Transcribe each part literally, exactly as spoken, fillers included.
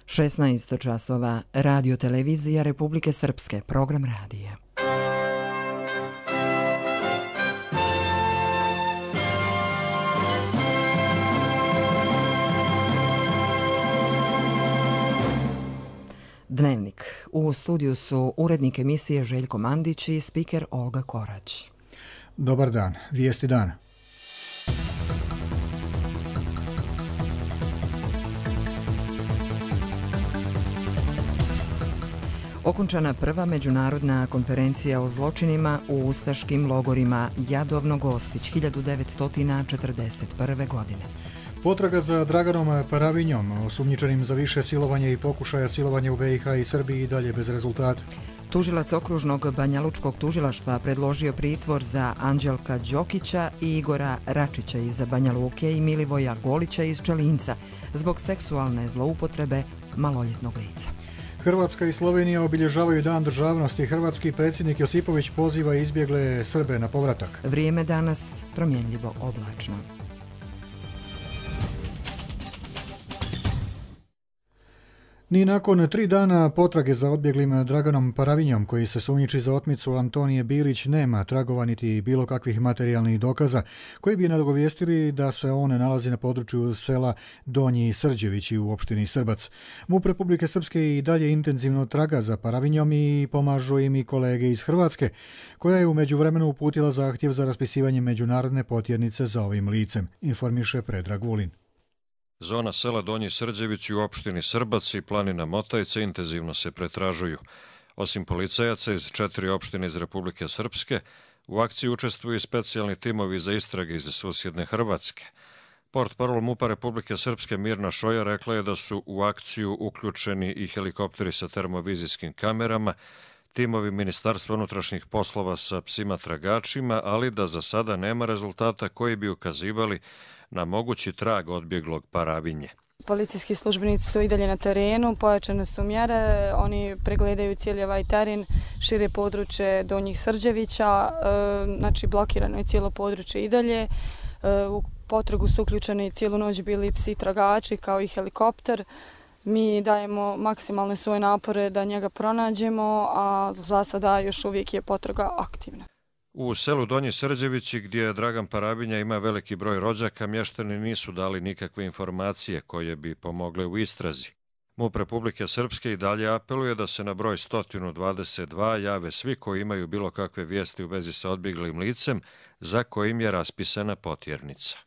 šesnaest časova, Radio televizija Republike Srpske, program radija. Dnevnik. U studiju su urednik emisije Željko Mandić i spiker Olga Korać. Dobar dan. Vijesti dana. Okončana prva međunarodna konferencija o zločinima u ustaškim logorima Jadovno-Gospić hiljadu devetsto četrdeset prve. godine. Potraga za Draganom Paravinjom, osumnjičenim za više silovanja i pokušaja silovanja u B i H i Srbiji, i dalje bez rezultata. Tužilac okružnog Banjalučkog tužilaštva predložio pritvor za Anđelka Đokića i Igora Račića iz Banja Luke i Milivoja Golića iz Čelinca zbog seksualne zloupotrebe maloljetnog lica. Hrvatska i Slovenija obilježavaju Dan državnosti. Hrvatski predsjednik Josipović poziva izbjegle Srbe na povratak. Vrijeme danas promjenljivo oblačno. Ni nakon tri dana potrage za odbjeglim Draganom Paravinjom, koji se sumnjiči za otmicu Antonije Bilić, nema tragova niti bilo kakvih materijalnih dokaza koji bi nagovijestili da se on nalazi na području sela Donji Srđevići u opštini Srbac. MUP Republike Srpske i dalje intenzivno traga za Paravinjom i pomažu im i kolege iz Hrvatske, koja je u međuvremenu uputila zahtjev za raspisivanje međunarodne potjernice za ovim licem, informiše Predrag Vulin. Zona sela Donji Srđevići u opštini Srbac i planina Motajce intenzivno se pretražuju. Osim policajaca iz četiri opštine iz Republike Srpske, u akciji učestvuju i specijalni timovi za istrage iz susjedne Hrvatske. Portparol MUP-a Republike Srpske Mirna Šoja rekla je da su u akciju uključeni i helikopteri sa termovizijskim kamerama, timovi Ministarstva unutrašnjih poslova sa psima tragačima, ali da za sada nema rezultata koji bi ukazivali na mogući trag odbjeglog Paravinje. Policijski službenici su i dalje na terenu, pojačane su mjere, oni pregledaju cijeli ovaj teren, šire područje Donjih Srđevića, znači blokirano je cijelo područje i dalje. U potragu su uključeni cijelu noć bili psi tragači kao i helikopter. Mi dajemo maksimalne svoje napore da njega pronađemo, a za sada još uvijek je potraga aktivna. U selu Donji Srđevići, gdje Dragan Paravinja ima veliki broj rođaka, mještani nisu dali nikakve informacije koje bi pomogle u istrazi. MUP Republike Srpske i dalje apeluje da se na broj sto dvadeset dva jave svi koji imaju bilo kakve vijesti u vezi sa odbjeglim licem za kojim je raspisana potjernica.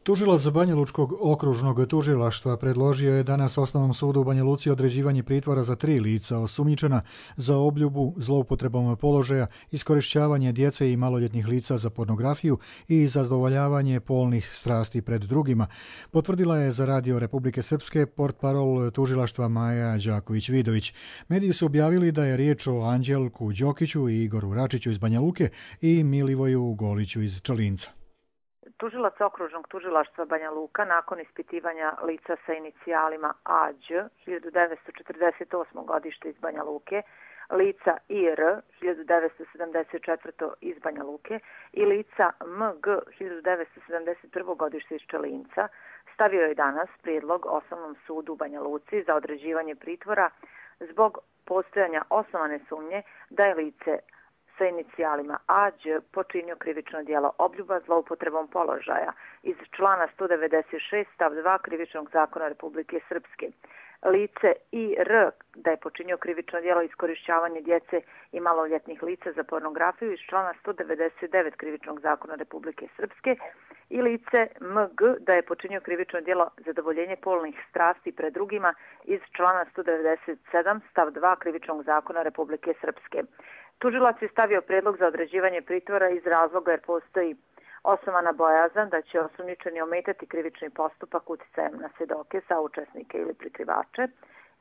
Tužilac Banjalučkog okružnog tužilaštva predložio je danas Osnovnom sudu u Banja Luci određivanje pritvora za tri lica osumnjičena za obljubu, zloupotrebom položaja, iskorišćavanje djece i maloljetnih lica za pornografiju i zadovoljavanje polnih strasti pred drugima, potvrdila je za Radio Republike Srpske portparol tužilaštva Maja Đaković-Vidović. Mediji su objavili da je riječ o Anđelku Đokiću i Igoru Račiću iz Banja Luke i Milivoju Goliću iz Čelinca. Tužilac okružnog tužilaštva Banja Luka nakon ispitivanja lica sa inicijalima A Đ hiljadu devetsto četrdeset osmo. godište iz Banja Luke, lica I R hiljadu devetsto sedamdeset četvrto. iz Banja Luke i lica M G hiljadu devetsto sedamdeset prvo. godište iz Čelinca, stavio je danas prijedlog Osnovnom sudu u Banja Luci za određivanje pritvora zbog postojanja osnovane sumnje da je lice sa inicijalima A Đ počinio krivično djelo obljuba zloupotrebom položaja iz člana sto devedeset šest stav dva Krivičnog zakona Republike Srpske. Lice I R da je počinio krivično djelo iskorišćavanje djece i maloljetnih lica za pornografiju iz člana sto devedeset devet Krivičnog zakona Republike Srpske i lice M G da je počinio krivično djelo zadovoljenje polnih strasti pred drugima iz člana sto devedeset sedam stav dva Krivičnog zakona Republike Srpske. Tužilac je stavio prijedlog za određivanje pritvora iz razloga jer postoji osnovana bojazan da će osumnjičeni ometati krivični postupak uticajem na svjedoke, saučesnike ili prikrivače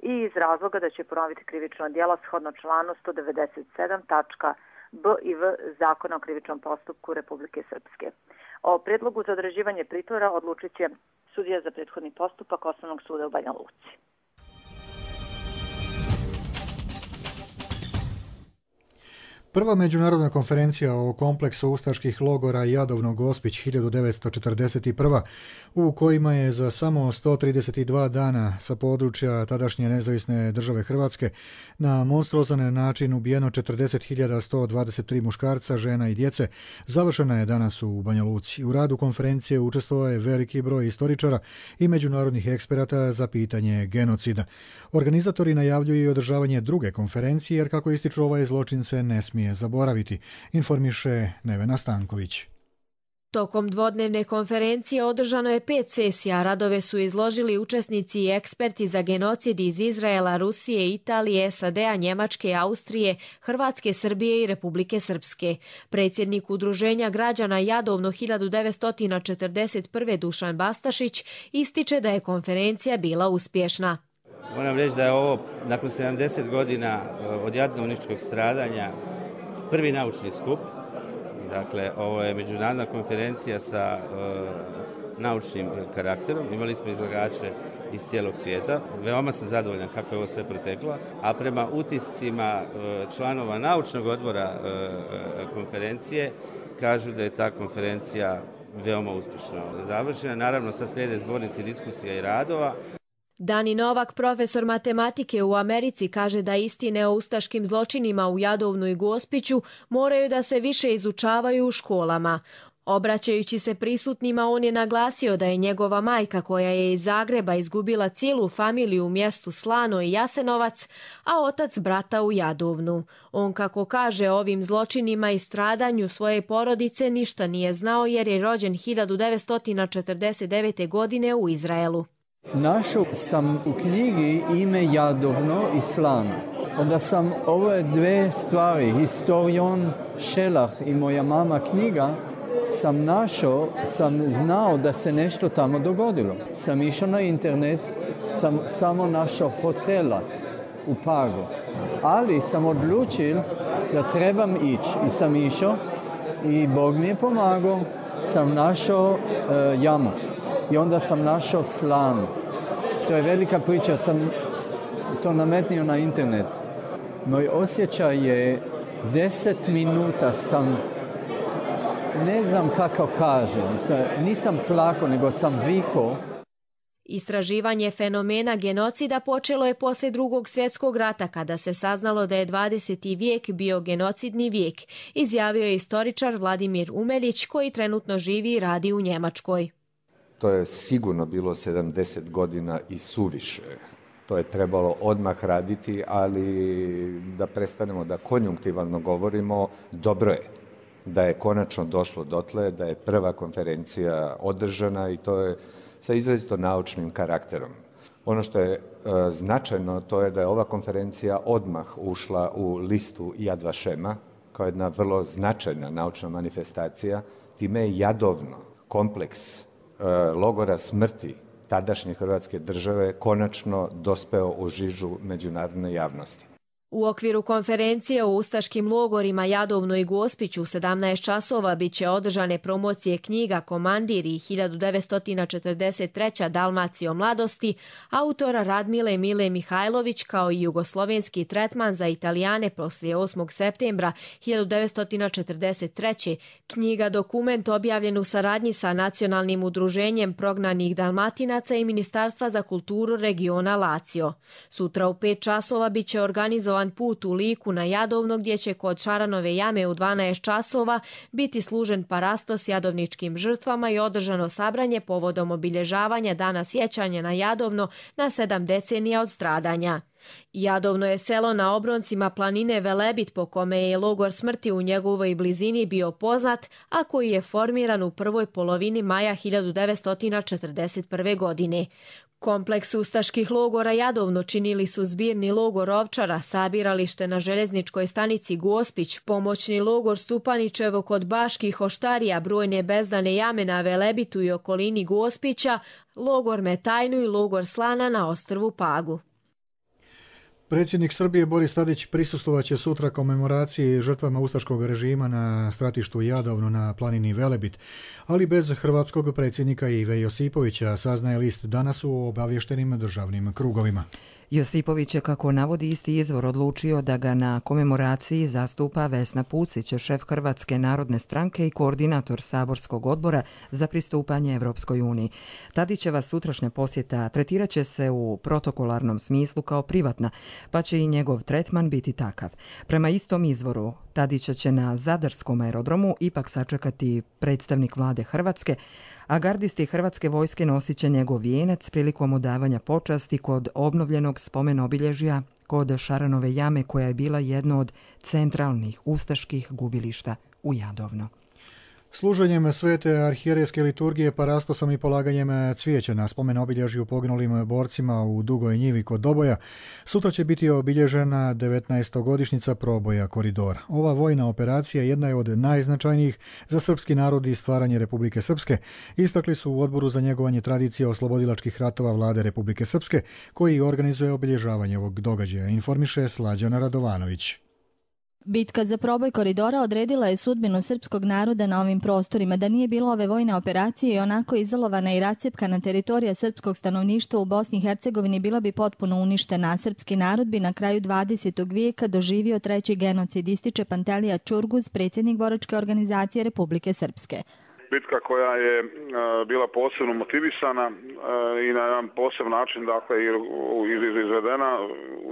i iz razloga da će ponoviti krivično djelo shodno članu sto devedeset sedam tačka B i V Zakona o krivičnom postupku Republike Srpske. O prijedlogu za određivanje pritvora odlučit će sudija za prethodni postupak Osnovnog suda u Banja Luci. Prva međunarodna konferencija o kompleksu ustaških logora Jadovno Gospić hiljadu devetsto četrdeset prva. u kojima je za samo sto trideset dva dana sa područja tadašnje nezavisne države Hrvatske na monstruozan način ubijeno četrdeset hiljada sto dvadeset tri muškarca, žena i djece, završena je danas u Banja Luci. U radu konferencije učestvovao je veliki broj istoričara i međunarodnih eksperata za pitanje genocida. Organizatori najavljuju i održavanje druge konferencije, jer kako ističu, ovaj zločin se ne smije zaboraviti, informiše Nevena Stanković. Tokom dvodnevne konferencije održano je pet sesija. Radove su izložili učesnici i eksperti za genocid iz Izraela, Rusije, Italije, S A D-a, Njemačke, Austrije, Hrvatske, Srbije i Republike Srpske. Predsjednik Udruženja građana Jadovno hiljadu devetsto četrdeset prve. Dušan Bastašić ističe da je konferencija bila uspješna. Moram reći da je ovo, nakon sedamdeset godina od jadovničkog stradanja, prvi naučni skup. Dakle, ovo je međunarodna konferencija sa e, naučnim karakterom. Imali smo izlagače iz cijelog svijeta. Veoma sam zadovoljan kako je ovo sve proteklo. A prema utiscima e, članova naučnog odbora e, e, konferencije kažu da je ta konferencija veoma uspješno završena. Naravno, sad slijede zbornici diskusija i radova. Dani Novak, profesor matematike u Americi, kaže da istine o ustaškim zločinima u Jadovnu i Gospiću moraju da se više izučavaju u školama. Obraćajući se prisutnima, on je naglasio da je njegova majka, koja je iz Zagreba izgubila cijelu familiju u mjestu Slano i Jasenovac, a otac brata u Jadovnu. On, kako kaže, o ovim zločinima i stradanju svoje porodice ništa nije znao, jer je rođen hiljadu devetsto četrdeset devete. godine u Izraelu. Našao sam u knjigi ime Jadovno i Slano. Onda sam ove dve stvari, historion Šelah i moja mama knjiga, sam našao, sam znao da se nešto tamo dogodilo. Sam išao na internet, sam samo našao hotela u Pagu. Ali sam odlučio da trebam ići i sam išao i Bog mi je pomagao, sam našao uh, jamu. I onda sam našao Slanu. To je velika priča, sam to nametnio na internet. Moj osjećaj je deset minuta sam, ne znam kako kažem, nisam plakao, nego sam vikao. Istraživanje fenomena genocida počelo je poslije Drugog svjetskog rata, kada se saznalo da je dvadeseti vijek bio genocidni vijek, izjavio je istoričar Vladimir Umeljić, koji trenutno živi i radi u Njemačkoj. To je sigurno bilo sedamdeset godina i suviše. To je trebalo odmah raditi, ali da prestanemo da konjunktivalno govorimo, dobro je da je konačno došlo dotle, da je prva konferencija održana i to je sa izrazito naučnim karakterom. Ono što je e, značajno, to je da je ova konferencija odmah ušla u listu Yad Vashema kao jedna vrlo značajna naučna manifestacija. Time je Jadovno, kompleks logora smrti tadašnje Hrvatske države, konačno dospeo u žižu međunarodne javnosti. U okviru konferencije o ustaškim logorima Jadovno i Gospiću u sedamnaest časova bit će održane promocije knjiga Komandir i hiljadu devetsto četrdeset treća. Dalmacio mladosti, autora Radmile Mile Mihajlović, kao i jugoslovenski tretman za Italijane poslije osmog septembra hiljadu devetsto četrdeset treće. Knjiga dokument objavljen u saradnji sa Nacionalnim udruženjem prognanih Dalmatinaca i Ministarstva za kulturu regiona Lazio. Sutra u pet časova bit će organizovan put u Liku na Jadovno, gdje će kod Šaranove jame u dvanaest časova biti služen parastos jadovničkim žrtvama i održano sabranje povodom obilježavanja Dana sjećanja na Jadovno na sedam decenija od stradanja. Jadovno je selo na obroncima planine Velebit, po kome je logor smrti u njegovoj blizini bio poznat, a koji je formiran u prvoj polovini maja hiljadu devetsto četrdeset prve. godine. Kompleks ustaških logora Jadovno činili su zbirni logor Ovčara, sabiralište na željezničkoj stanici Gospić, pomoćni logor Stupanićevo kod Baških Oštarija, brojne bezdane jame na Velebitu i okolini Gospića, logor Metajnu i logor Slana na ostrvu Pagu. Predsjednik Srbije Boris Tadić prisustvovaće sutra komemoraciji žrtvama ustaškog režima na stratištu Jadovno na planini Velebit, ali bez hrvatskog predsjednika Ive Josipovića, saznaje list danas u obavještenim državnim krugovima. Josipović je, kako navodi isti izvor, odlučio da ga na komemoraciji zastupa Vesna Pusić, šef Hrvatske narodne stranke i koordinator saborskog odbora za pristupanje Evropskoj uniji. Tadićeva sutrašnja posjeta tretirat će se u protokolarnom smislu kao privatna, pa će i njegov tretman biti takav. Prema istom izvoru, Tadića će na Zadarskom aerodromu ipak sačekati predstavnik vlade Hrvatske, a gardisti Hrvatske vojske nosit će njegov vijenac prilikom odavanja počasti kod obnovljenog spomen obilježja kod Šaranove jame, koja je bila jedno od centralnih ustaških gubilišta u Jadovno. Služenjem svete arhijerejske liturgije, parastosom i polaganjem cvijeća na spomen obilježju poginulim borcima u Dugoj njivi kod Doboja, sutra će biti obilježena devetnaestogodišnjica proboja Koridora. Ova vojna operacija jedna je od najznačajnijih za srpski narod i stvaranje Republike Srpske, istakli su u Odboru za njegovanje tradicije oslobodilačkih ratova vlade Republike Srpske, koji organizuje obilježavanje ovog događaja, informiše Slađana Radovanović. Bitka za proboj Koridora odredila je sudbinu srpskog naroda na ovim prostorima. Da nije bilo ove vojne operacije i onako izolovana i rascepkana teritorija srpskog stanovništva u Bosni i Hercegovini bila bi potpuno uništena. Srpski narod bi na kraju dvadesetog vijeka doživio treći genocid, ističe Pantelija Čurguz, predsjednik boračke organizacije Republike Srpske. Bitka koja je uh, bila posebno motivisana uh, i na jedan posebno način, dakle, izvedena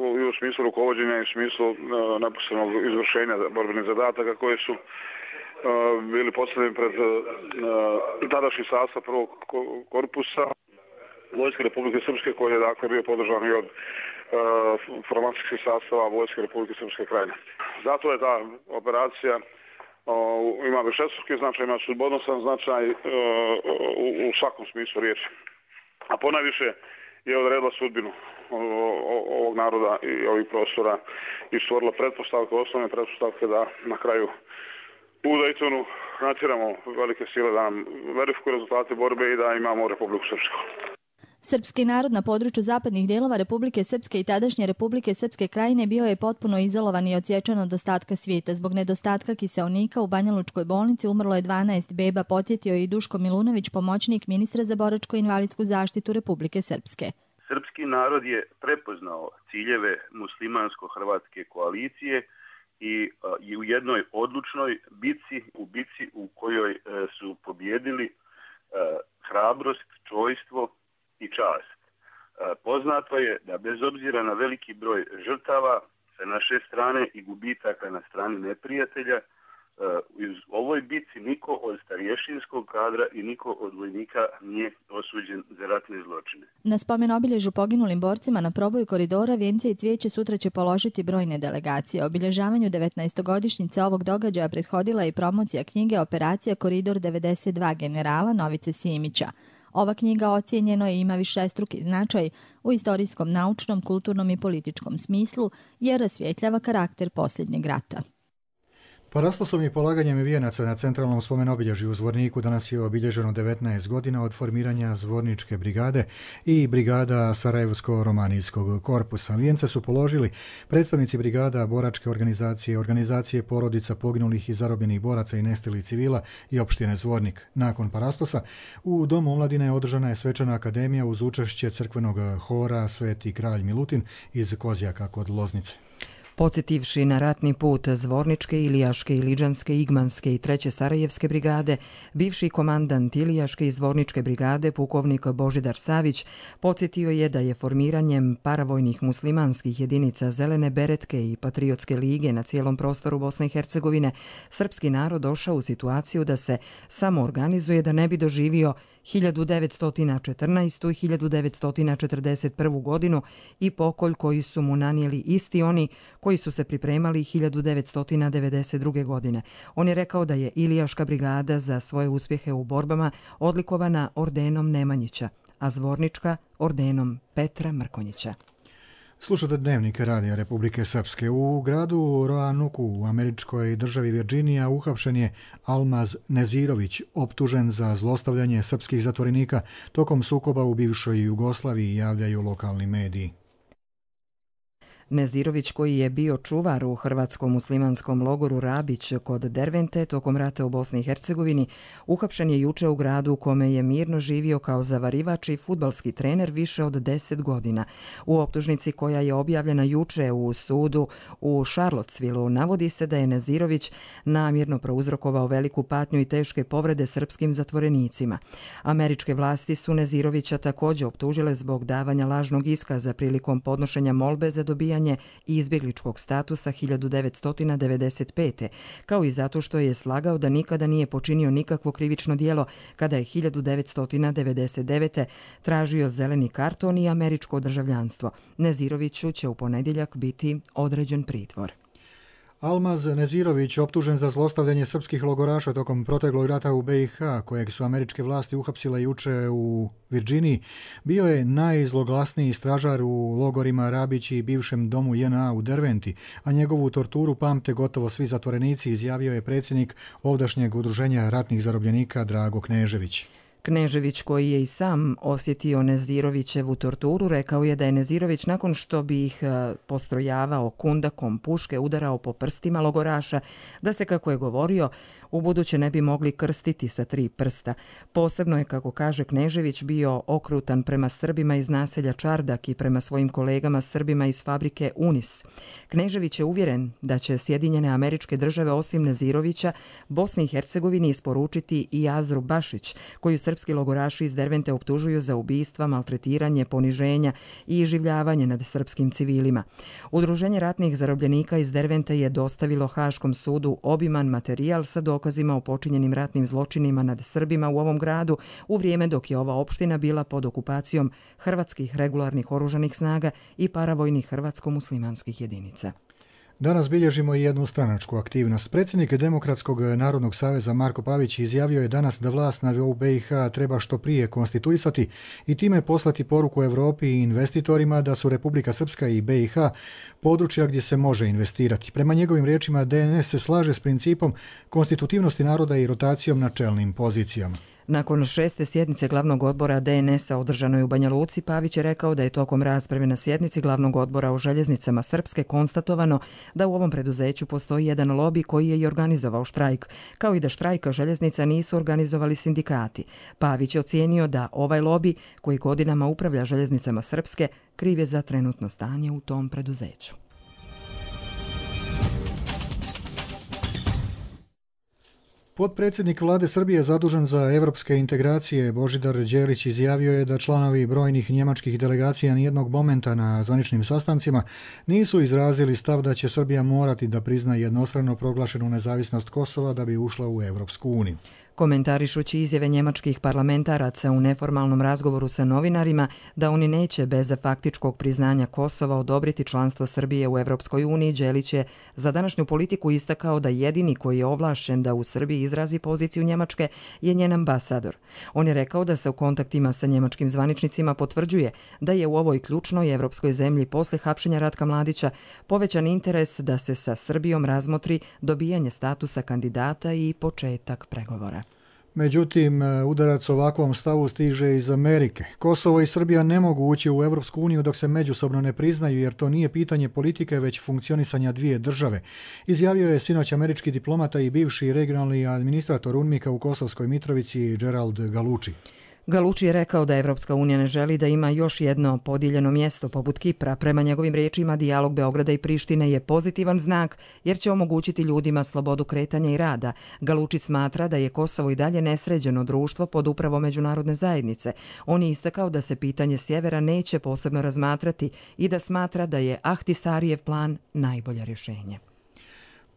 u, u smislu rukovođenja i u smislu uh, neposrednog izvršenja borbenih zadataka koje su uh, bili postavljeni pred uh, tadašnji sastav prvog korpusa Vojske Republike Srpske, koji je, dakle, bio podržan i od uh, formacijskih sastava Vojske Republike Srpske Krajine. Zato je ta operacija Uh, ima višestruki značaj, ima sudbonosan značaj uh, u, u svakom smislu riječi. A ponajviše je odredila sudbinu uh, ovog naroda i ovih prostora i stvorila pretpostavke, osnovne pretpostavke da na kraju u Daytonu natjeramo velike sile da nam verifikuju rezultate borbe i da imamo Republiku Srpsku. Srpski narod na području zapadnih dijelova Republike Srpske i tadašnje Republike Srpske Krajine bio je potpuno izolovan i odsječan od ostatka svijeta. Zbog nedostatka kiseonika u Banjalučkoj bolnici umrlo je dvanaest beba, podsjetio je i Duško Milunović, pomoćnik ministra za boračko-invalidsku zaštitu Republike Srpske. Srpski narod je prepoznao ciljeve muslimansko-hrvatske koalicije i, i u jednoj odlučnoj bici, u bici u kojoj su pobjedili hrabrost, čojstvo i čast. Poznato je da bez obzira na veliki broj žrtava sa naše strane i gubitaka na strani neprijatelja, u ovoj bici niko od starješinskog kadra i niko od vojnika nije osuđen za ratne zločine. Na spomen obilježju poginulim borcima na proboju Koridora vijence i cvijeće sutra će položiti brojne delegacije. Obilježavanju devetnaestogodišnjice ovog događaja prethodila i promocija knjige Operacija Koridor devedeset dva generala Novice Simića. Ova knjiga ocijenjeno je i ima višestruki značaj u istorijskom, naučnom, kulturnom i političkom smislu jer rasvjetljava karakter posljednjeg rata. Parastosom i polaganjem vijenaca na centralnom spomen obilježju u Zvorniku danas je obilježeno devetnaest godina od formiranja Zvorničke brigade i brigada Sarajevsko-romanijskog korpusa. Vijence su položili predstavnici brigada, boračke organizacije, organizacije porodica poginulih i zarobljenih boraca i nestalih civila i opštine Zvornik. Nakon parastosa u Domu omladine održana je svečana akademija uz učešće crkvenog hora Sveti kralj Milutin iz Kozjaka kod Loznice. Podsjetivši na ratni put Zvorničke, Ilijaške, Iliđanske, Igmanske i treće Sarajevske brigade, bivši komandant Ilijaške i Zvorničke brigade, pukovnik Božidar Savić, podsjetio je da je formiranjem paravojnih muslimanskih jedinica Zelene beretke i Patriotske lige na cijelom prostoru Bosne i Hercegovine srpski narod došao u situaciju da se samo organizuje da ne bi doživio hiljadu devetsto četrnaestu. i hiljadu devetsto četrdeset prvu. godinu i pokolj koji su mu nanijeli isti oni koji su se pripremali hiljadu devetsto devedeset druge. godine. On je rekao da je Ilijaška brigada za svoje uspjehe u borbama odlikovana ordenom Nemanjića, a Zvornička ordenom Petra Mrkonjića. Slušate Dnevnik Radija Republike Srpske. U gradu Roanuku u američkoj državi Virginija uhapšen je Almaz Nezirović, optužen za zlostavljanje srpskih zatvorenika tokom sukoba u bivšoj Jugoslaviji, javljaju lokalni mediji. Nezirović, koji je bio čuvar u hrvatskom muslimanskom logoru Rabić kod Dervente tokom rata u Bosni i Hercegovini, uhapšen je juče u gradu u kome je mirno živio kao zavarivač i fudbalski trener više od deset godina. U optužnici koja je objavljena juče u sudu u Charlottesvilleu navodi se da je Nezirović namjerno prouzrokovao veliku patnju i teške povrede srpskim zatvorenicima. Američke vlasti su Nezirovića također optužile zbog davanja lažnog iskaza prilikom podnošenja molbe za dobijanje i izbjegličkog statusa hiljadu devetsto devedeset pete. kao i zato što je slagao da nikada nije počinio nikakvo krivično djelo kada je hiljadu devetsto devedeset devete. tražio zeleni karton i američko državljanstvo. Neziroviću će u ponedjeljak biti određen pritvor. Almaz Nezirović, optužen za zlostavljanje srpskih logoraša tokom proteklog rata u be i ha, kojeg su američke vlasti uhapsile juče u Virginiji, bio je najzloglasniji stražar u logorima Rabić i bivšem domu je en a u Derventi, a njegovu torturu pamte gotovo svi zatvorenici, izjavio je predsjednik ovdašnjeg udruženja ratnih zarobljenika Drago Knežević. Knežević, koji je i sam osjetio Nezirovićevu torturu, rekao je da je Nezirović nakon što bi ih postrojavao kundakom puške udarao po prstima logoraša, da se, kako je govorio, u buduće ne bi mogli krstiti sa tri prsta. Posebno je, kako kaže Knežević, bio okrutan prema Srbima iz naselja Čardak i prema svojim kolegama Srbima iz fabrike Unis. Knežević je uvjeren da će Sjedinjene Američke Države osim Nezirovića Bosni i Hercegovini isporučiti i Azru Bašić, koju srpski logoraši iz Dervente optužuju za ubistva, maltretiranje, poniženja i iživljavanje nad srpskim civilima. Udruženje ratnih zarobljenika iz Dervente je dostavilo Haškom sudu obiman materijal sa dokazima o počinjenim ratnim zločinima nad Srbima u ovom gradu u vrijeme dok je ova opština bila pod okupacijom hrvatskih regularnih oružanih snaga i paravojnih hrvatsko-muslimanskih jedinica. Danas bilježimo i jednu stranačku aktivnost. Predsjednik Demokratskog narodnog saveza Marko Pavić izjavio je danas da vlast na nivou be i ha treba što prije konstituisati i time poslati poruku Europi i investitorima da su Republika Srpska i be i ha područja gdje se može investirati. Prema njegovim riječima, de en es se slaže s principom konstitutivnosti naroda i rotacijom na čelnim pozicijama. Nakon šeste sjednice glavnog odbora de en es-a održanoj u Banja Luci, Pavić je rekao da je tokom rasprave na sjednici glavnog odbora o željeznicama Srpske konstatovano da u ovom preduzeću postoji jedan lobi koji je i organizovao štrajk, kao i da štrajka željeznica nisu organizovali sindikati. Pavić je ocijenio da ovaj lobi, koji godinama upravlja željeznicama Srpske, kriv je za trenutno stanje u tom preduzeću. Potpredsjednik vlade Srbije zadužen za evropske integracije Božidar Đelić izjavio je da članovi brojnih njemačkih delegacija nijednog momenta na zvaničnim sastancima nisu izrazili stav da će Srbija morati da prizna jednostrano proglašenu nezavisnost Kosova da bi ušla u Evropsku uniju. Komentarišući izjave njemačkih parlamentaraca u neformalnom razgovoru sa novinarima da oni neće bez faktičkog priznanja Kosova odobriti članstvo Srbije u Evropskoj uniji, Đelić je za današnju politiku istakao da jedini koji je ovlašćen da u Srbiji izrazi poziciju Njemačke je njen ambasador. On je rekao da se u kontaktima sa njemačkim zvaničnicima potvrđuje da je u ovoj ključnoj evropskoj zemlji posle hapšenja Ratka Mladića povećan interes da se sa Srbijom razmotri dobijanje statusa kandidata i početak pregovora. Međutim, udarac ovakvom stavu stiže iz Amerike. Kosovo i Srbija ne mogu ući u Evropsku uniju dok se međusobno ne priznaju, jer to nije pitanje politike, već funkcionisanja dvije države. Izjavio je sinoć američki diplomata i bivši regionalni administrator UNMIK-a u Kosovskoj Mitrovici Gerald Galucci. Galucci je rekao da Evropska unija ne želi da ima još jedno podijeljeno mjesto poput Kipra. Prema njegovim riječima, dijalog Beograda i Prištine je pozitivan znak jer će omogućiti ljudima slobodu kretanja i rada. Galucci smatra da je Kosovo i dalje nesređeno društvo pod upravom međunarodne zajednice. On je istakao da se pitanje sjevera neće posebno razmatrati i da smatra da je Ahtisarijev plan najbolje rješenje.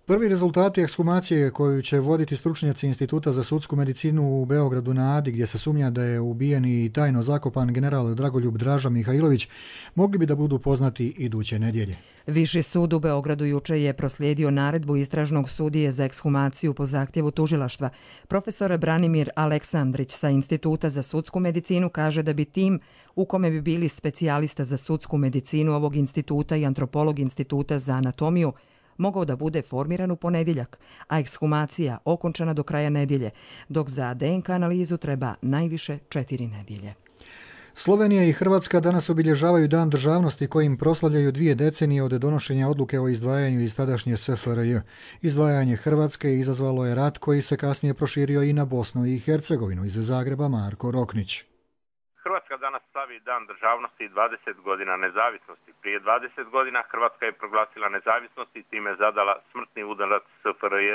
Prvi rezultati ekshumacije koju će voditi stručnjaci Instituta za sudsku medicinu u Beogradu na Adi, gdje se sumnja da je ubijen i tajno zakopan general Dragoljub Draža Mihajlović, mogli bi da budu poznati iduće nedjelje. Viši sud u Beogradu juče je proslijedio naredbu istražnog sudije za ekshumaciju po zahtjevu tužilaštva. Profesor Branimir Aleksandrić sa Instituta za sudsku medicinu kaže da bi tim u kome bi bili specijalista za sudsku medicinu ovog instituta i antropolog Instituta za anatomiju mogao da bude formiran u ponedjeljak, a ekshumacija okončana do kraja nedjelje, dok za de en ka analizu treba najviše četiri nedjelje. Slovenija i Hrvatska danas obilježavaju Dan državnosti kojim proslavljaju dvije decenije od donošenja odluke o izdvajanju iz tadašnje S F R J. Izdvajanje Hrvatske izazvalo je rat koji se kasnije proširio i na Bosnu i Hercegovinu. Iz Zagreba Marko Roknić. Hrvatska danas slavi Dan državnosti i dvadeset godina nezavisnosti. Prije dvadeset godina Hrvatska je proglasila nezavisnost i time zadala smrtni udarac S F R J,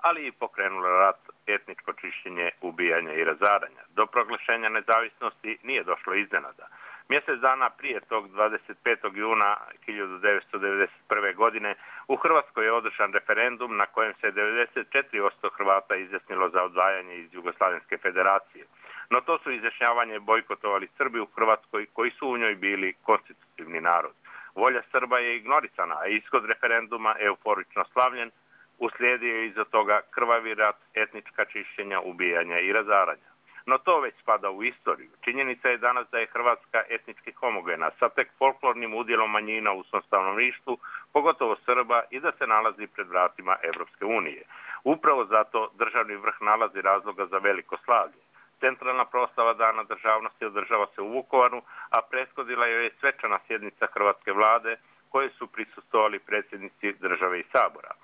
ali i pokrenula rat, etničko čišćenje, ubijanje i razaranja. Do proglašenja nezavisnosti nije došlo iznenada. Mjesec dana prije tog dvadeset petog juna hiljadu devetsto devedeset prve. godine u Hrvatskoj je održan referendum na kojem se devedeset četiri posto Hrvata izjasnilo za odvajanje iz Jugoslavenske federacije. No to su izjašnjavanje bojkotovali Srbi u Hrvatskoj koji su u njoj bili konstitutivni narod. Volja Srba je ignorisana, a ishod referenduma euforično slavljen, uslijedio je iza toga krvavi rat, etnička čišćenja, ubijanja i razaranja. No to već spada u istoriju. Činjenica je danas da je Hrvatska etnički homogena sa tek folklornim udjelom manjina u svom stanovništvu, pogotovo Srba, i da se nalazi pred vratima Evropske unije. Upravo zato državni vrh nalazi razloga za veliko slavlje. Centralna proslava Dana državnosti održava se u Vukovaru, a prethodila joj je svečana sjednica Hrvatske vlade koje su prisustvovali predsjednici države i Sabora.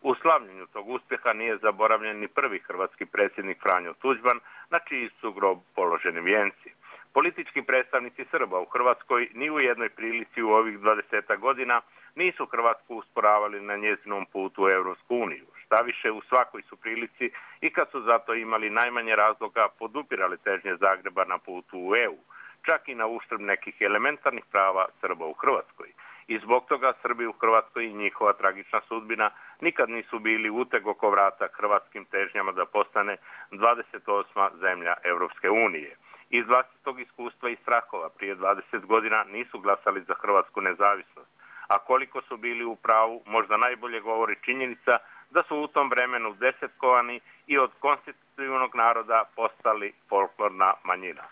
U slavljenju tog uspjeha nije zaboravljen ni prvi hrvatski predsjednik Franjo Tuđman, na čiji su grob položeni vijenci. Politički predstavnici Srba u Hrvatskoj ni u jednoj prilici u ovih dvadesetak godina nisu Hrvatsku usporavali na njezinom putu u Europsku uniju. Štaviše, u svakoj su prilici i kad su zato imali najmanje razloga podupirali težnje Zagreba na putu u E U, čak i na uštrb nekih elementarnih prava Srba u Hrvatskoj. I zbog toga Srbi u Hrvatskoj i njihova tragična sudbina nikad nisu bili uteg oko vrata hrvatskim težnjama da postane dvadeset osma zemlja Europske unije. Iz vlastitog iskustva i strahova prije dvadeset godina nisu glasali za hrvatsku nezavisnost, a koliko su bili u pravu možda najbolje govori činjenica da su u tom vremenu desetkovani i od konstitutivnog naroda postali folklorna manjina.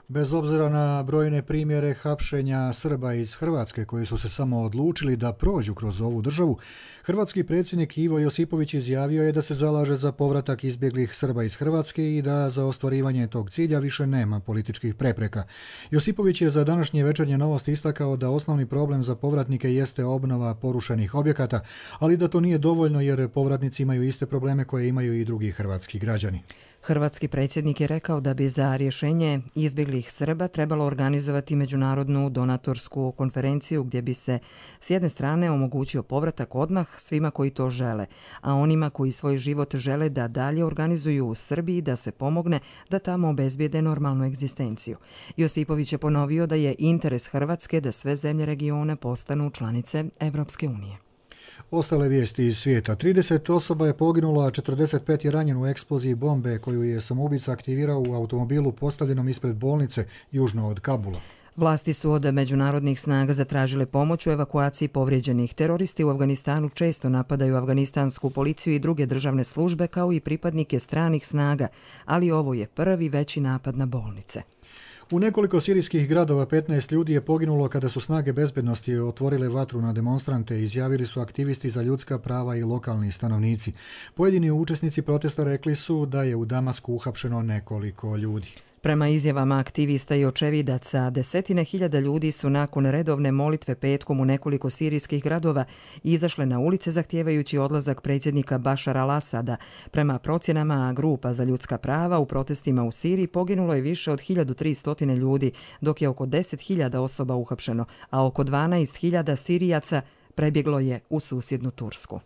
Bez obzira na brojne primjere hapšenja Srba iz Hrvatske koji su se samo odlučili da prođu kroz ovu državu, hrvatski predsjednik Ivo Josipović izjavio je da se zalaže za povratak izbjeglih Srba iz Hrvatske i da za ostvarivanje tog cilja više nema političkih prepreka. Josipović je za današnje Večernje novosti istakao da osnovni problem za povratnike jeste obnova porušenih objekata, ali da to nije dovoljno jer povratnici imaju iste probleme koje imaju i drugi hrvatski građani. Hrvatski predsjednik je rekao da bi za rješenje izbjeglih Srba trebalo organizovati međunarodnu donatorsku konferenciju gdje bi se s jedne strane omogućio povratak odmah svima koji to žele, a onima koji svoj život žele da dalje organizuju u Srbiji da se pomogne da tamo obezbijede normalnu egzistenciju. Josipović je ponovio da je interes Hrvatske da sve zemlje regiona postanu članice Evropske unije. Ostale vijesti iz svijeta. trideset osoba je poginulo, a četrdeset pet je ranjeno u eksploziji bombe koju je samoubica aktivirao u automobilu postavljenom ispred bolnice južno od Kabula. Vlasti su od međunarodnih snaga zatražile pomoć u evakuaciji povrijeđenih. Teroristi u Afganistanu često napadaju afganistansku policiju i druge državne službe kao i pripadnike stranih snaga, ali ovo je prvi veći napad na bolnice. U nekoliko sirijskih gradova petnaest ljudi je poginulo kada su snage bezbednosti otvorile vatru na demonstrante, izjavili su aktivisti za ljudska prava i lokalni stanovnici. Pojedini učesnici protesta rekli su da je u Damasku uhapšeno nekoliko ljudi. Prema izjavama aktivista i očevidaca, desetine hiljada ljudi su nakon redovne molitve petkom u nekoliko sirijskih gradova izašle na ulice zahtijevajući odlazak predsjednika Bašara al-Asada. Prema procjenama grupa za ljudska prava u protestima u Siriji poginulo je više od hiljadu tristo ljudi, dok je oko deset hiljada osoba uhapšeno, a oko dvanaest hiljada Sirijaca prebjeglo je u susjednu Tursku.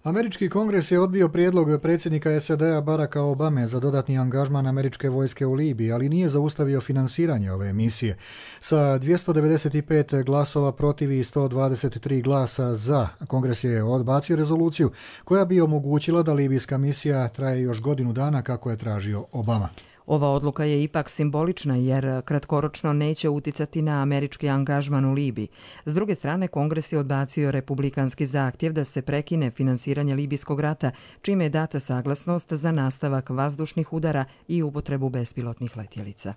Američki kongres je odbio prijedlog predsjednika S A D-a Baracka Obame za dodatni angažman američke vojske u Libiji, ali nije zaustavio finansiranje ove misije. Sa dvjesto devedeset pet glasova protiv i sto dvadeset tri glasa za, kongres je odbacio rezoluciju koja bi omogućila da libijska misija traje još godinu dana kako je tražio Obama. Ova odluka je ipak simbolična jer kratkoročno neće uticati na američki angažman u Libiji. S druge strane, Kongres je odbacio republikanski zahtjev da se prekine finansiranje libijskog rata, čime je data saglasnost za nastavak vazdušnih udara i upotrebu bespilotnih letjelica.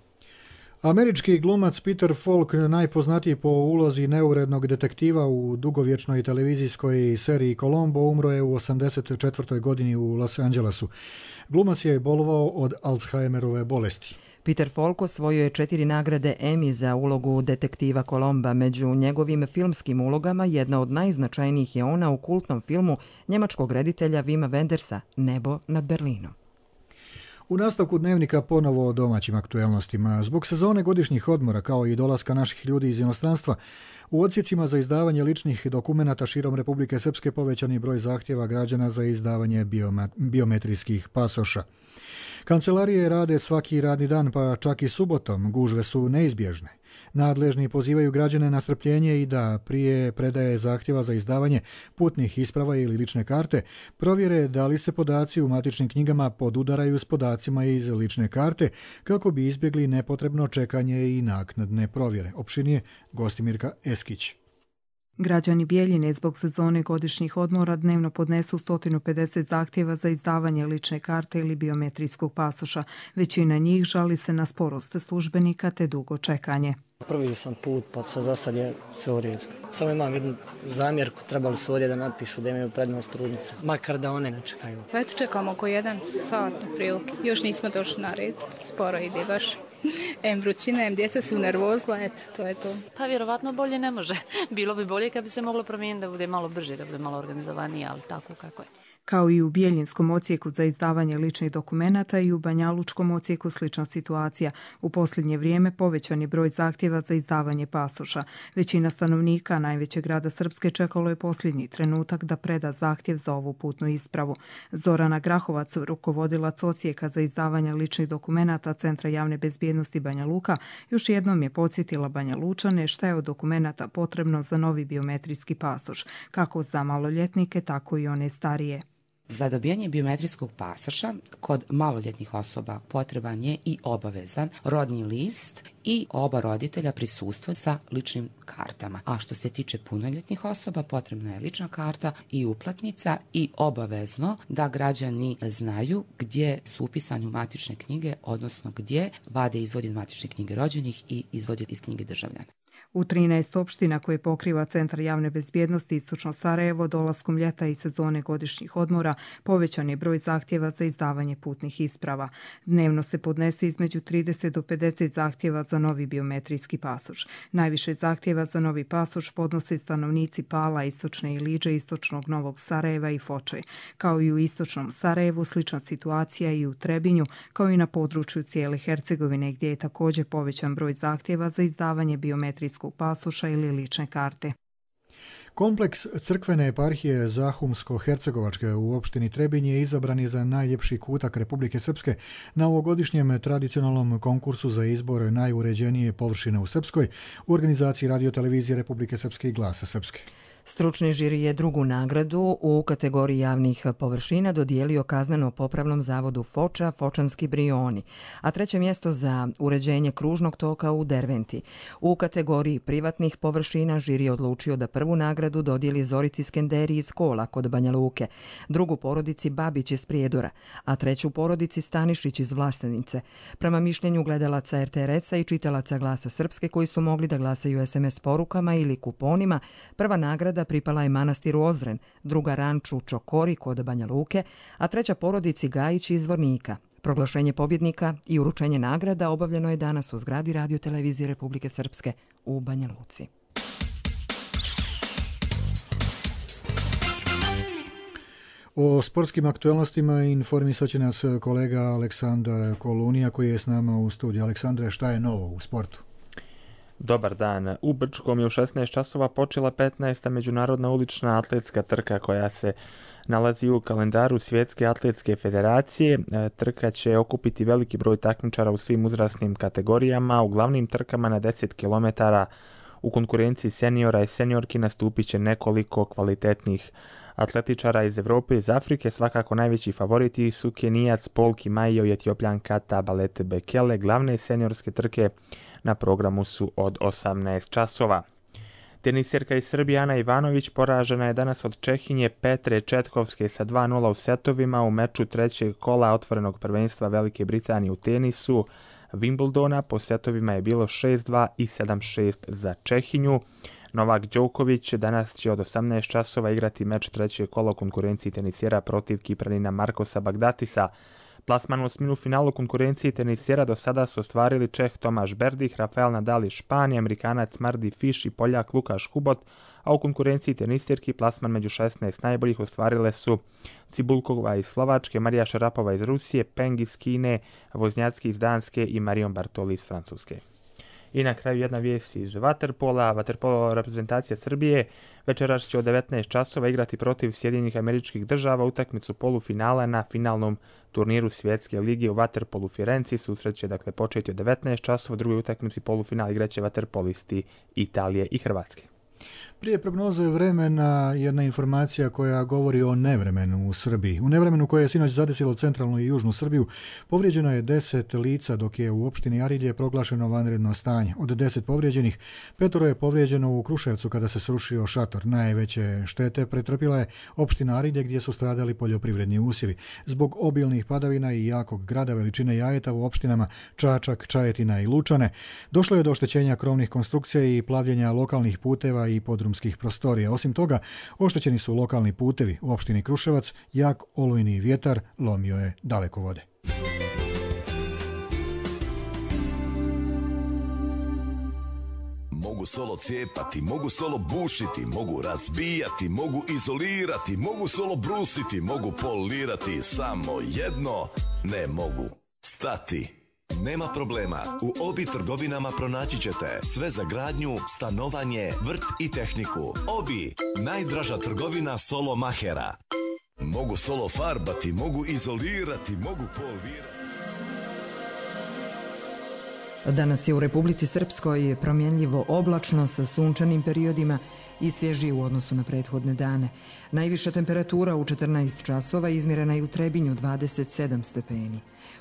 Američki glumac Peter Falk, najpoznatiji po ulozi neurednog detektiva u dugovječnoj televizijskoj seriji Columbo, umro je u osamdeset četvrtoj godini u Los Angelesu. Glumac je bolovao od Alzheimerove bolesti. Peter Falk osvojio je četiri nagrade Emmy za ulogu detektiva Kolomba. Među njegovim filmskim ulogama jedna od najznačajnijih je ona u kultnom filmu njemačkog reditelja Wima Wendersa Nebo nad Berlinom. U nastavku dnevnika ponovo o domaćim aktuelnostima. Zbog sezone godišnjih odmora kao i dolaska naših ljudi iz inostranstva, u odsjecima za izdavanje ličnih dokumenata širom Republike Srpske povećan je broj zahtjeva građana za izdavanje biometrijskih pasoša. Kancelarije rade svaki radni dan, pa čak i subotom. Gužve su neizbježne. Nadležni pozivaju građane na strpljenje i da prije predaje zahtjeva za izdavanje putnih isprava ili lične karte provjere da li se podaci u matičnim knjigama podudaraju s podacima iz lične karte kako bi izbjegli nepotrebno čekanje i naknadne provjere. Opšinije Gostimirka Eskić. Građani Bjeljine zbog sezone godišnjih odmora dnevno podnesu sto pedeset zahtjeva za izdavanje lične karte ili biometrijskog pasoša. Većina njih žali se na sporost službenika te dugo čekanje. Prvi sam put, pa za sad je sve u redu. Samo imam jednu zamjerku, trebali su ovdje da napišu da imaju prednost trudnice, makar da one ne čekaju. Pa eto čekamo oko jedan sat prilike. Još nismo došli na red, sporo ide baš. Em vrućina, em djeca su nervozla, eto, to je to. Pa vjerovatno bolje ne može. Bilo bi bolje kad bi se moglo promijeniti da bude malo brže, da bude malo organizovanije, ali tako kako je. Kao i u Bjeljinskom odsjeku za izdavanje ličnih dokumenata i u Banjalučkom odsjeku slična situacija. U posljednje vrijeme povećan je broj zahtjeva za izdavanje pasoša. Većina stanovnika najvećeg grada Srpske čekalo je posljednji trenutak da preda zahtjev za ovu putnu ispravu. Zorana Grahovac, rukovodilac odsjeka za izdavanje ličnih dokumenata Centra javne bezbjednosti Banja Luka, još jednom je podsjetila Banja Lučane šta je od dokumenata potrebno za novi biometrijski pasoš, kako za maloljetnike, tako i one starije. Za dobijanje biometrijskog pasoša kod maloljetnih osoba potreban je i obavezan rodni list i oba roditelja prisustva sa ličnim kartama. A što se tiče punoljetnih osoba, potrebna je lična karta i uplatnica i obavezno da građani znaju gdje su upisani u matične knjige, odnosno gdje vade izvod iz matične knjige rođenih i izvod iz knjige državljana. U trinaest opština koje pokriva Centar javne bezbjednosti Istočno Sarajevo dolaskom ljeta i sezone godišnjih odmora povećan je broj zahtjeva za izdavanje putnih isprava. Dnevno se podnese između trideset do pedeset zahtjeva za novi biometrijski pasoš. Najviše zahtjeva za novi pasoš podnose stanovnici Pala, Istočne Iliđe, Istočnog Novog Sarajeva i Foče. Kao i u Istočnom Sarajevu, slična situacija i u Trebinju, kao i na području cijele Hercegovine, gdje je također povećan broj zahtjeva za izdavanje biometrijskog pasoša ili lične karte. Kompleks crkvene eparhije Zahumsko-Hercegovačke u opštini Trebinj je izabran je za najljepši kutak Republike Srpske na ovogodišnjem tradicionalnom konkursu za izbor najuređenije površine u Srpskoj u organizaciji Radio-televizije Republike Srpske i Glasa Srpske. Stručni žiri je drugu nagradu u kategoriji javnih površina dodijelio kazneno-popravnom zavodu Foča, Fočanski Brioni, a treće mjesto za uređenje kružnog toka u Derventi. U kategoriji privatnih površina žiri je odlučio da prvu nagradu dodijeli Zorici Skenderi iz Kola kod Banja Luke, drugu porodici Babić iz Prijedora, a treću porodici Stanišić iz Vlastenice. Prema mišljenju gledalaca er te er es-a i čitalaca Glasa Srpske koji su mogli da glasaju es em es porukama ili kuponima, prva nagrada pripala je manastiru Ozren, druga ranču Čokori kod Banja Luke, a treća porodici Gajić iz Zvornika. Proglašenje pobjednika i uručenje nagrada obavljeno je danas u zgradi Radio-televizije Republike Srpske u Banja Luci. O sportskim aktualnostima informisat će nas kolega Aleksandar Kolunija koji je s nama u studiju. Aleksandre, šta je novo u sportu? Dobar dan. U Brčkom je u šesnaest časova počela petnaesta međunarodna ulična atletska trka koja se nalazi u kalendaru Svjetske atletske federacije. Trka će okupiti veliki broj takmičara u svim uzrasnim kategorijama. U glavnim trkama na deset kilometara u konkurenciji seniora i seniorki nastupit će nekoliko kvalitetnih atletičara iz Evrope i iz Afrike. Svakako najveći favoriti su Kenijac Paul Kimaiyo i Etiopljanka Tabalete Bekele. Glavne seniorske trke na programu su od osamnaest časova. Teniserka iz Srbije Ana Ivanović poražena je danas od Čehinje Petre Četkovske sa dva nula u setovima u meču trećeg kola otvorenog prvenstva Velike Britanije u tenisu Wimbledona. Po setovima je bilo šest dva i sedam šest za Čehinju. Novak Đoković danas će od osamnaest časova igrati meč trećeg kola u konkurenciji tenisera protiv Kipranina Markosa Bagdatisa. Plasman u osminu finalu konkurenciji tenisera do sada su ostvarili Čeh Tomaš Berdih, Rafael Nadal iz Španije, Amerikanac Mardy Fish i Poljak Lukaš Kubot, a u konkurenciji tenisirki plasman među šesnaest najboljih ostvarile su Cibulkova iz Slovačke, Marija Šarapova iz Rusije, Peng iz Kine, Voznjacki iz Danske i Marion Bartoli iz Francuske. I na kraju jedna vijest iz vaterpola. Vaterpolo reprezentacija Srbije večeras će od devetnaest časova igrati protiv Sjedinjenih Američkih Država utakmicu polufinala na finalnom turniru Svjetske lige u vaterpolu Firenci. Susret će dakle početi od devetnaest časova, u drugoj utakmici polufinala igraće vaterpolisti Italije i Hrvatske. Prije prognoze vremena jedna informacija koja govori o nevremenu u Srbiji. U nevremenu koje je sinoć zadesilo centralnu i južnu Srbiju povrijeđeno je deset lica, dok je u opštini Arilje proglašeno vanredno stanje. Od deset povrijeđenih, petoro je povrijeđeno u Kruševcu kada se srušio šator. Najveće štete pretrpila je opština Arilje gdje su stradali poljoprivredni usjevi. Zbog obilnih padavina i jakog grada veličine Jajeta u opštinama Čačak, Čajetina i Lučane došlo je do oštećenja krovnih konstrukcija i plavljenja lokalnih puteva i podrumskih prostorija. Osim toga, oštećeni su lokalni putevi. U opštini Kruševac jak olujni vjetar lomio je dalekovode. Mogu solo cijepati, mogu solo bušiti, mogu razbijati, mogu izolirati, mogu solo brusiti, mogu polirati, samo jedno ne mogu stati. Nema problema, u Obi trgovinama pronaći ćete sve za gradnju, stanovanje, vrt i tehniku. Obi, najdraža trgovina solo mahera. Mogu solo farbati, mogu izolirati, mogu polirati. Danas je u Republici Srpskoj promjenljivo oblačno sa sunčanim periodima i svježije u odnosu na prethodne dane. Najviša temperatura u četrnaest časova izmjerena je u Trebinju dvadeset sedam stepeni.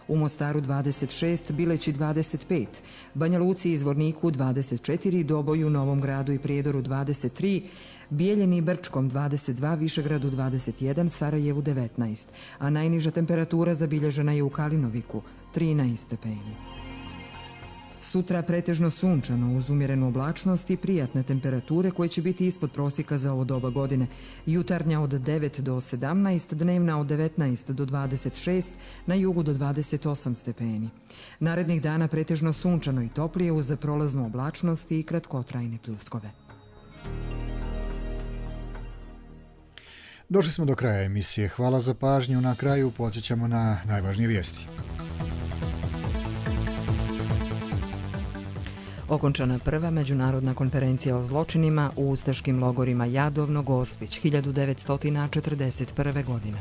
U Mostaru dvadeset šest, Bileći dvadeset pet, Banja Luci i Zvorniku dvadeset četiri, Doboju, Novom Gradu i Prijedoru dvadeset tri, Bijeljini i Brčkom dvadeset dva, Višegradu dvadeset jedan, Sarajevu devetnaest, a najniža temperatura zabilježena je u Kalinoviku trinaest stepeni. Sutra pretežno sunčano uz umjerenu oblačnost i prijatne temperature koje će biti ispod prosjeka za ovo doba godine. Jutarnja od devet do sedamnaest, dnevna od devetnaest do dvadeset šest, na jugu do dvadeset osam stepeni. Narednih dana pretežno sunčano i toplije uz prolaznu oblačnost i kratkotrajne pljuskove. Došli smo do kraja emisije. Hvala za pažnju. Na kraju podsjećamo na najvažnije vijesti. Okončana prva međunarodna konferencija o zločinima u ustaškim logorima Jadovno, Gospić, hiljadu devetsto četrdeset prve. godine.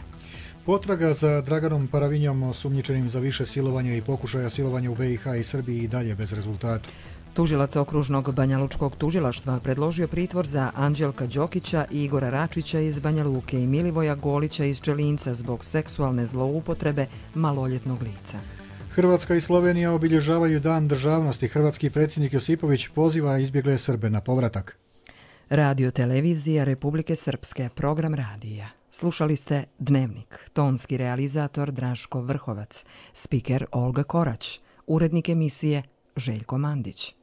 Potraga za Draganom Paravinjom, osumnjičenim za više silovanja i pokušaja silovanja u B i H i Srbiji, i dalje bez rezultata. Tužilac okružnog banjalučkog tužilaštva predložio pritvor za Anđelka Đokića i Igora Račića iz Banja Luke i Milivoja Golića iz Čelinca zbog seksualne zloupotrebe maloljetnog lica. Hrvatska i Slovenija obilježavaju Dan državnosti. Hrvatski predsjednik Josipović poziva izbjegle Srbe na povratak. Radio televizija Republike Srpske, program radija. Slušali ste Dnevnik, tonski realizator Draško Vrhovac, spiker Olga Korać, urednik emisije Željko Mandić.